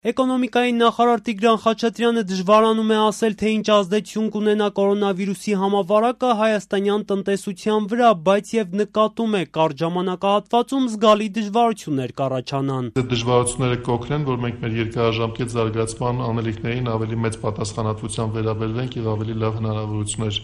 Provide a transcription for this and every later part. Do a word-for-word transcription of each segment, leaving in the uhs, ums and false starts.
Էկոնոմիկայի նախարար Տիգրան Խաչատրյանը դժվարանում է ասել, թե ինչ ազդեցություն կունենա կորոնավիրուսի համավարակը հայաստանյան տնտեսության վրա, բայց եւ նկատում է, կարճ ժամանակահատվածում զգալի դժվարություններ կառաջանան։ Այդ դժվարությունները կօգնեն, որ մենք մեր երկարաժամկետ զարգացման անելիքներին ավելի մեծ պատասխանատվությամբ վերաբերվենք եւ ավելի լավ հնարավորություններ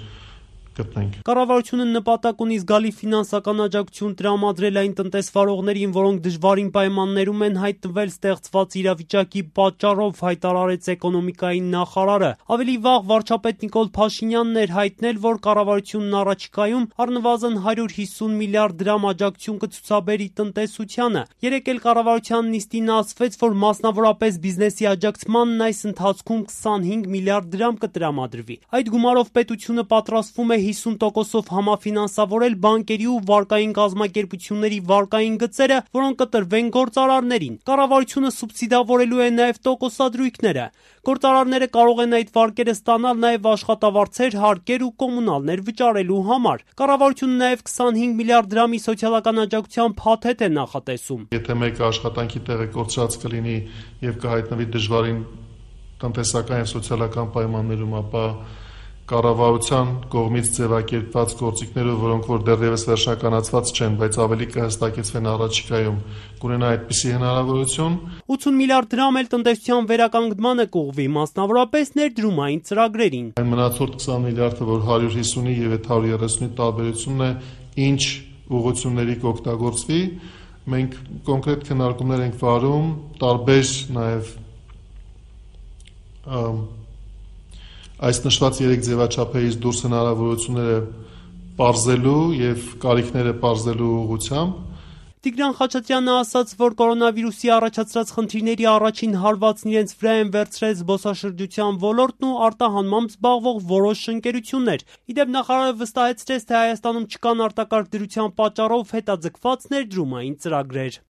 գտնենք։ Կառավարությունը նպատակ ունի զգալի ֆինանսական աջակցություն տրամադրել այն տնտեսվարողներին, որոնք դժվարին պայմաններում են հայտնվել ստեղծված իրավիճակի պատճառով, հայտարարեց էկոնոմիկայի նախարարը։ Ավելի վաղ վարչապետ Նիկոլ Փաշինյանն էր հայտնել, որ կառավարությունն առաջիկայում առնվազն հարյուր հիսուն միլիարդ դրամ աջակցություն կցուցաբերի տնտեսությանը։ Երեկ էլ կառավարության նիստին ասվեց, որ մասնավորապես բիզնեսի աջակցմանն այս ընթացքում քսանհինգ միլիարդ դրամ կտրամադրվի։ Այդ գումարով պետությունը պատրաստվում է հիսուն տոկոսով համաֆինանսավորել բանկերի ու վարկային կազմակերպությունների վարկային գծերը, որոնք կտրվեն գործարարներին։ Կառավարությունը սուբսիդավորելու է նաև տոկոսադրույքները։ Գործարարները կարող են այդ վարկերը ստանալ նաև աշխատավարձեր, հարկեր ու կոմունալներ վճարելու համար։ Կառավարությունը նաև քսանհինգ միլիարդ դրամի սոցիալական աջակցության փաթեթ է նախատեսում։ Եթե մեկը աշխատանքի տեղը կորցրած կլինի եւ կհայտնվի դժվարին տնտեսական եւ սոցիալական պայմաններում, ապա կառավարության կողմից ձևակերպված գործիքները, որոնք որ դեռևս վերջնականացված չեն, բայց ավելի կհստակեցվեն առաջիկայում, կունենա այդպիսի հնարավորություն։ ութուն միլիարդ դրամ էլ տնտեսության վերականգնմանը կուղղվի, մասնավորապես ներդրումային ծրագրերին։ Այն մնացորդ քսան միլիարդը, որ հարյուր հիսունի եւ այդ հարյուր երեսունի տարբերությունն է, ինչ ուղղությունների կօգտագործվի, մենք կոնկրետ քննարկումներ ենք վարում, տարբեր նաեւ այս նշված երեք ձևաչափերից դուրս հնարավորությունները պարզելու եւ կարիքները պարզելու ուղղությամբ։ Տիգրան Խաչատրյանը ասաց, որ կորոնավիրուսի առաջացրած խնդիրների առաջին հարվածն իրենց վրա են վերցրել զբոսաշրջության ոլորտն ու արտահանմամբ զբաղվող որոշ ընկերություններ։ Իդեպ նախարարը վստահեցրեց, թե Հայաստանում չկան արտակարգ դրության պատճառով հետաձգված ներդրումային ծրագրեր։